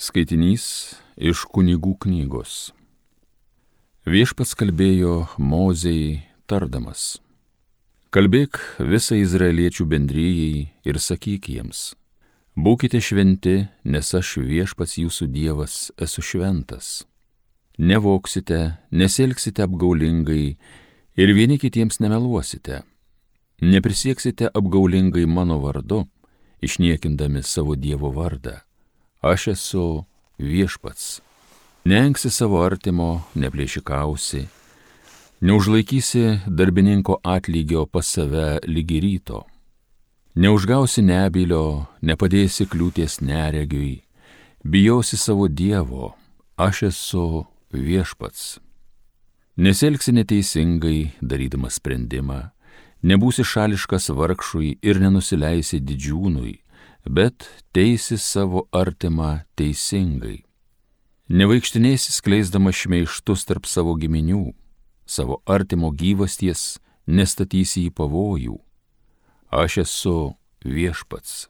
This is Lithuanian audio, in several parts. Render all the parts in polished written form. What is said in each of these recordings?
Skaitinys iš Kunigų knygos. Viešpats kalbėjo Mozei tardamas: Kalbėk visai izraeliečių bendrijai ir sakyk jiems: Būkite šventi, nes aš Viešpats jūsų Dievas esu šventas. Nevoksite, nesielgsite apgaulingai ir vieni kitiems nemeluosite. Neprisieksite apgaulingai mano vardu, išniekindami savo Dievo vardą. Aš esu Viešpats. Neengsi savo artimo, neplėšikausi, neužlaikysi darbininko atlygio pas save lygi ryto, neužgausi nebylio, nepadėsi kliūties neregiui, bijosi savo Dievo, aš esu Viešpats. Nesielgsi neteisingai, darydamas sprendimą, nebūsi šališkas vargšui ir nenusileisi didžiūnui, bet teisi savo artimą teisingai. Nevaikštinėsi skleisdamas šmeižtus tarp savo giminių, savo artimo gyvasties nestatysi į pavojų. Aš esu Viešpats.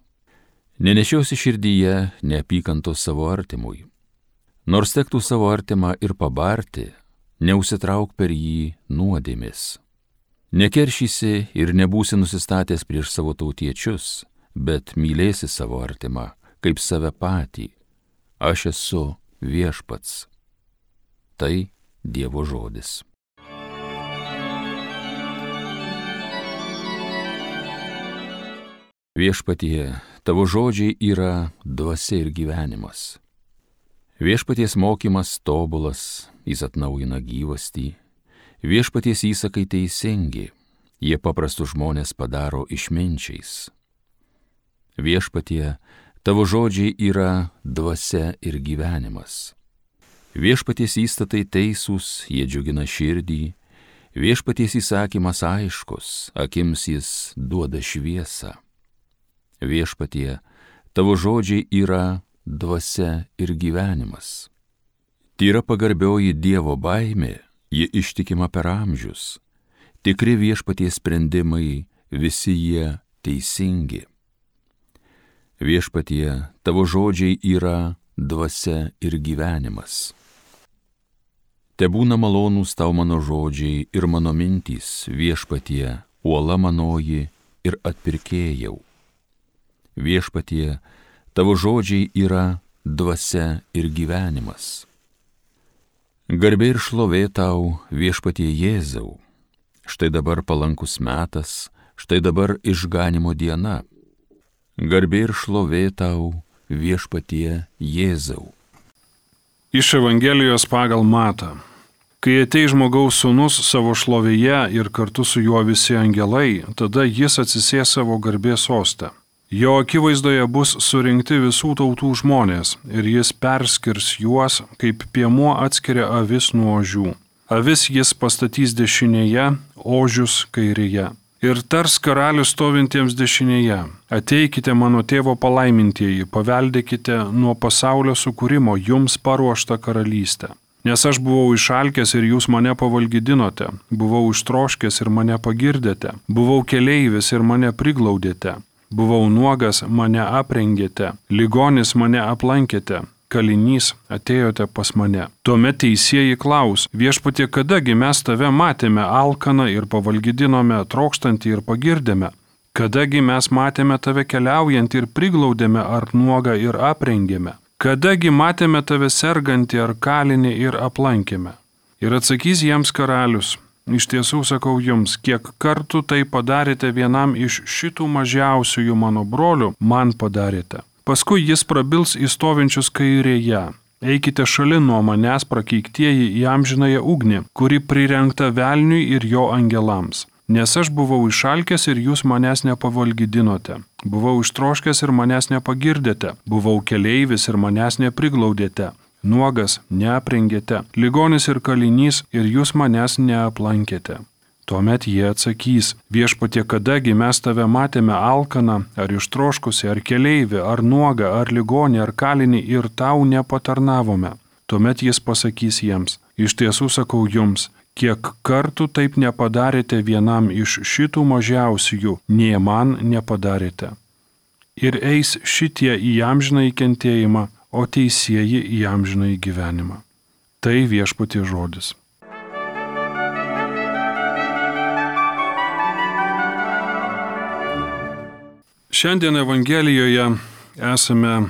Nenešiosi širdyje neapykantos savo artimui. Nors tektų savo artimą ir pabarti, neužsitrauk per jį nuodėmės. Nekeršysi ir nebūsi nusistatęs prieš savo tautiečius, bet mylėsi savo artimą kaip save patį. Aš esu Viešpats. Tai Dievo žodis. Viešpatie, tavo žodžiai yra dvasia ir gyvenimas. Viešpaties mokymas tobulas, jis atnaujina gyvastį. Viešpaties įsakai teisingi, jie paprastus žmonės padaro išminčiais. Viešpatie, tavo žodžiai yra dvasia ir gyvenimas. Viešpaties įstatai teisūs, jie džiugina širdį. Viešpaties įsakymas aiškus, akims jis duoda šviesą. Viešpatie, tavo žodžiai yra dvasia ir gyvenimas. Tyra pagarbioji Dievo baimė, ji ištikima per amžius. Tikri Viešpaties sprendimai, visi jie teisingi. Viešpatie, tavo žodžiai yra dvasia ir gyvenimas. Tebūna malonūs tau mano žodžiai ir mano mintys, Viešpatie, uola manoji ir atpirkėjau. Viešpatie, tavo žodžiai yra dvasia ir gyvenimas. Garbė ir šlovė tau, Viešpatie Jėzau. Štai dabar palankus metas, štai dabar išganimo diena. Garbė ir šlovė tau, Viešpatie Jėzau. Iš Evangelijos pagal Matą. Kai ateis žmogaus sūnus savo šlovėje ir kartu su juo visi angelai, tada jis atsisės savo garbės soste. Jo akivaizdoje bus surinkti visų tautų žmonės ir jis perskirs juos, kaip piemuo atskiria avis nuo ožių. Avis jis pastatys dešinėje, ožius kairėje. Ir tars karalius stovintiems dešinėje: Ateikite mano tėvo palaimintieji, paveldėkite nuo pasaulio sukūrimo jums paruoštą karalystę. Nes aš buvau išalkęs ir jūs mane pavalgydinote, buvau ištroškęs ir mane pagirdėte, buvau keleivis ir mane priglaudėte, buvau nuogas, mane aprengėte, ligonis mane aplankėte, kalinys atėjote pas mane. Tuomet teisieji klaus: Viešpatie, kadagi mes tave matėme alkaną ir pavalgydinome, trokštantį ir pagirdėme? Kadagi mes matėme tave keliaujantį ir priglaudėme, ar nuogą ir aprengėme? Kadagi matėme tave sergantį ar kalinį ir aplankėme? Ir atsakys jiems karalius: Iš tiesų sakau jums, kiek kartų tai padarėte vienam iš šitų mažiausiųjų mano brolių, man padarėte. Paskui jis prabils į stovinčius kairėje: Eikite šalin nuo manęs, prakeiktieji, į amžinąją ugnį, kuri prirengta velniui ir jo angelams. Nes aš buvau išalkęs ir jūs manęs nepavalgydinote. Buvau ištroškęs ir manęs nepagirdėte. Buvau keleivis ir manęs nepriglaudėte. Nuogas neaprengėte. Ligonis ir kalinys ir jūs manęs neaplankėte. Tuomet jie atsakys: Viešpatie, kadagi mes tave matėme alkaną, ar ištroškusi, ar keleivį, ar nuogą, ar ligonį, ar kalinį ir tau nepatarnavome. Tuomet jis pasakys jiems: Iš tiesų sakau jums, kiek kartų taip nepadarėte vienam iš šitų mažiausiųjų, nė man nepadarėte. Ir eis šitie į amžinąjį kentėjimą, o teisieji į amžinąjį gyvenimą. Tai Viešpaties žodis. Šiandien Evangelijoje esame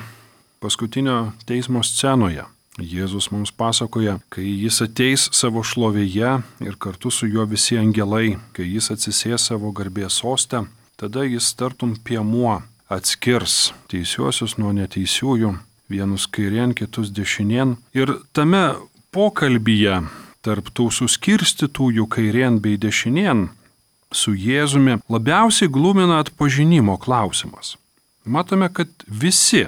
paskutinio teismo scenoje. Jėzus mums pasakoja, kai jis ateis savo šlovėje ir kartu su juo visi angelai, kai jis atsisės savo garbės soste, tada jis tartum piemuo atskirs teisiuosius nuo neteisiųjų, vienus kairien, kitus dešinien. Ir tame pokalbyje tarp tų suskirstytųjų kairien bei dešinien su Jėzumi labiausiai glumina atpažinimo klausimas. Matome, kad visi,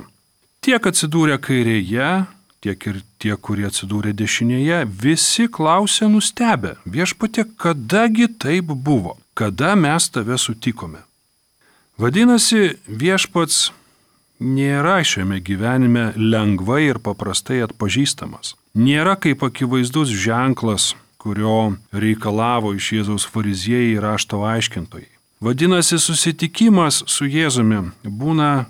tiek atsidūrę kairėje, tiek ir tie, kurie atsidūrė dešinėje, visi klausė nustebę: Viešpatie, kadagi taip buvo? Kada mes tave sutikome? Vadinasi, Viešpats nėra šiame gyvenime lengvai ir paprastai atpažįstamas. Nėra kaip akivaizdus ženklas, kurio reikalavo iš Jėzaus fariziejai ir rašto aiškintojai. Vadinasi, susitikimas su Jėzumi būna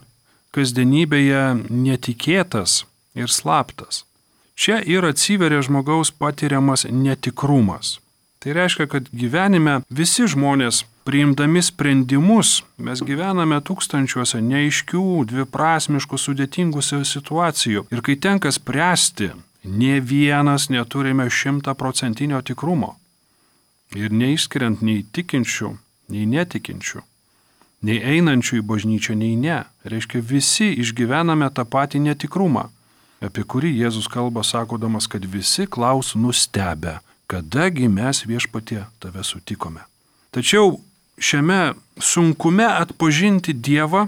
kasdienybėje netikėtas ir slaptas. Čia ir atsiveria žmogaus patiriamas netikrumas. Tai reiškia, kad gyvenime visi žmonės, priimdami sprendimus, mes gyvename tūkstančiuose neaiškių, dviprasmiškų, sudėtingų situacijų. Ir kai tenka spręsti, nė vienas neturime 100% tikrumo. Ir neišskiriant nei tikinčių, nei netikinčių, nei einančių į bažnyčią, nei ne. Reiškia, visi išgyvename tą patį netikrumą, apie kurį Jėzus kalba, sakodamas, kad visi klaus nustebę, kadagi mes, Viešpatie, tave sutikome. Tačiau šiame sunkume atpažinti Dievą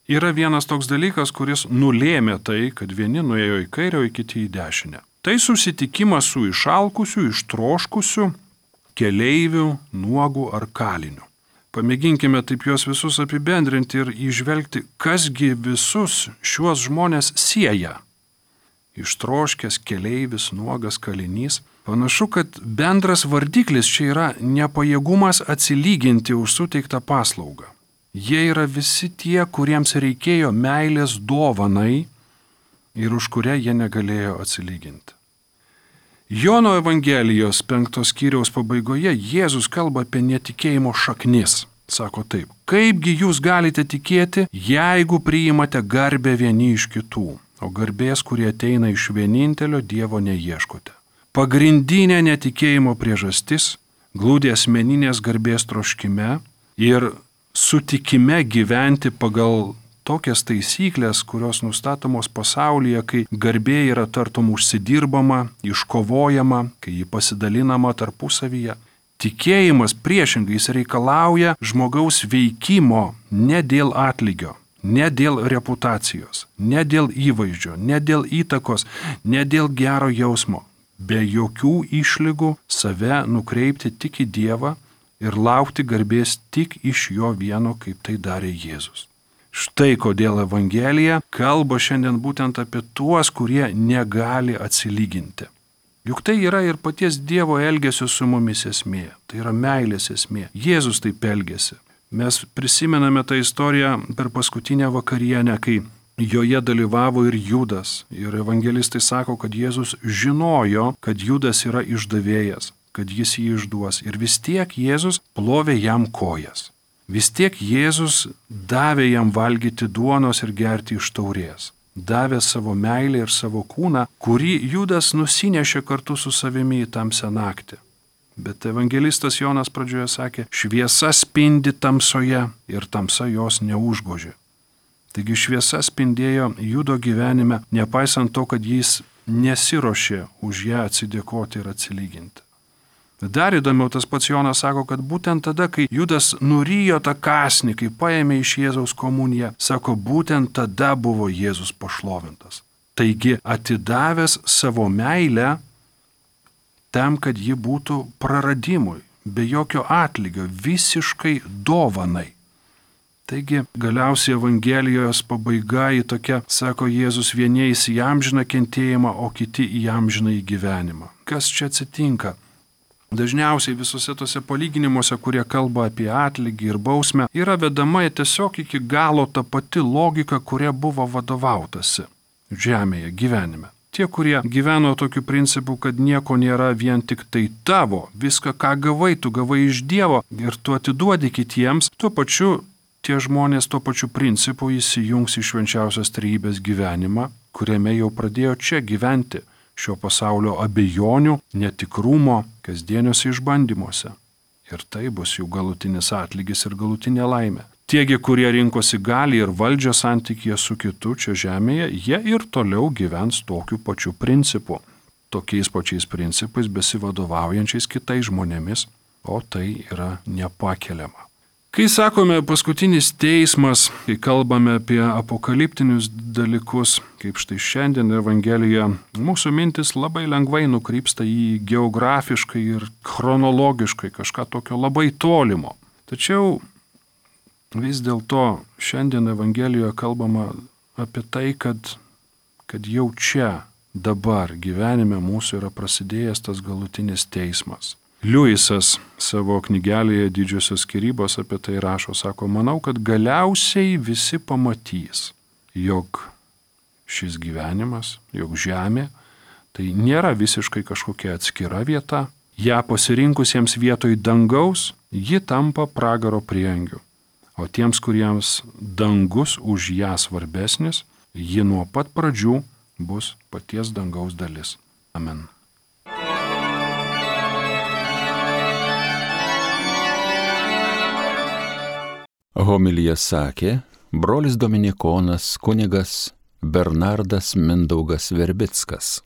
yra vienas toks dalykas, kuris nulėmė tai, kad vieni nuėjo į kairę, o kiti į dešinę. Tai susitikimas su išalkusiu, ištroškusiu keleiviu, nuogu ar kaliniu. Pamėginkime taip juos visus apibendrinti ir įžvelgti, kasgi visus šiuos žmonės sieja. Ištroškęs keleivis, nuogas kalinys. Panašu, kad bendras vardiklis čia yra nepajėgumas atsilyginti už suteiktą paslaugą. Jie yra visi tie, kuriems reikėjo meilės dovanai ir už kurią jie negalėjo atsilyginti. Jono Evangelijos 5 skyriaus pabaigoje Jėzus kalba apie netikėjimo šaknis. Sako taip: kaipgi jūs galite tikėti, jeigu priimate garbę vieni iš kitų, o garbės, kurie ateina iš vienintelio Dievo, neieškote. Pagrindinė netikėjimo priežastis glūdi asmeninės garbės troškime ir sutikime gyventi pagal tokias taisyklės, kurios nustatomos pasaulyje, kai garbė yra tartum užsidirbama, iškovojama, kai ji pasidalinama tarpusavyje. Tikėjimas priešingai reikalauja žmogaus veikimo ne dėl atlygio, ne dėl reputacijos, ne dėl įvaizdžio, ne dėl įtakos, ne dėl gero jausmo, be jokių išlygų save nukreipti tik į Dievą ir laukti garbės tik iš jo vieno, kaip tai darė Jėzus. Štai kodėl Evangelija kalba šiandien būtent apie tuos, kurie negali atsilyginti. Juk tai yra ir paties Dievo elgesio su mumis esmė, tai yra meilės esmė. Jėzus taip elgėsi. Mes prisimename tą istoriją per paskutinę vakarienę, kai joje dalyvavo ir Judas. Ir evangelistai sako, kad Jėzus žinojo, kad Judas yra išdavėjas, kad jis jį išduos. Ir vis tiek Jėzus plovė jam kojas. Vis tiek Jėzus davė jam valgyti duonos ir gerti iš taurės. Davė savo meilę ir savo kūną, kurį Judas nusinešė kartu su savimi į tamsią naktį. Bet evangelistas Jonas pradžioje sakė, šviesa spindi tamsoje ir tamsa jos neužgožė. Taigi šviesa spindėjo Judo gyvenime, nepaisant to, kad jis nesiruošė už ją atsidėkoti ir atsilyginti. Dar įdomiau, tas pats Jonas sako, kad būtent tada, kai Judas nurijo tą kąsnį, kai paėmė iš Jėzaus komuniją, sako, būtent tada buvo Jėzus pašlovintas. Taigi atidavęs savo meilę tam, kad ji būtų praradimui, be jokio atlygio, visiškai dovanai. Taigi galiausiai Evangelijos pabaiga į tokia, sako Jėzus, vieni eis į amžiną kentėjimą, o kiti į amžiną gyvenimą. Kas čia atsitinka? Dažniausiai visose tose palyginimuose, kurie kalba apie atlygį ir bausmę, yra vedama tiesiog iki galo ta pati logika, kuria buvo vadovautasi. žemėje gyvenime. Tie, kurie gyveno tokiu principu, kad nieko nėra vien tik tai tavo, viską, ką gavai, tu gavai iš Dievo ir tu atiduodi kitiems, tuo pačiu tie žmonės tuo pačiu principu įsijungs į švenčiausios trejybės gyvenimą, kuriame jau pradėjo čia gyventi šio pasaulio abejonių, netikrumo, kasdieniuose išbandymuose. Ir tai bus jų galutinis atlygis ir galutinė laimė. Tiegi, kurie rinkosi gali ir valdžią santykyje su kitu čia žemėje, jie ir toliau gyvens tokiu pačiu principu, tokiais pačiais principais besivadovaujančiais kitais žmonėmis, o tai yra nepakeliama. Kai sakome paskutinis teismas, kai kalbame apie apokaliptinius dalykus, kaip štai šiandien Evangelijoje, mūsų mintis labai lengvai nukrypsta į geografiškai ir chronologiškai kažką tokio labai tolimo. Tačiau vis dėlto šiandien Evangelijoje kalbama apie tai, kad jau čia, dabar gyvenime mūsų yra prasidėjęs tas galutinis teismas. Liujisas savo knygelėje Didžiosios skyrybos apie tai rašo, sako, manau, kad galiausiai visi pamatys, jog šis gyvenimas, jog žemė, tai nėra visiškai kažkokia atskira vieta, ją pasirinkusiems vietoj dangaus, ji tampa pragaro prieangiu, o tiems, kuriems dangus už ją svarbesnis, ji nuo pat pradžių bus paties dangaus dalis. Amen. Homiliją sakė brolis dominikonas kunigas Bernardas Mindaugas Verbickas.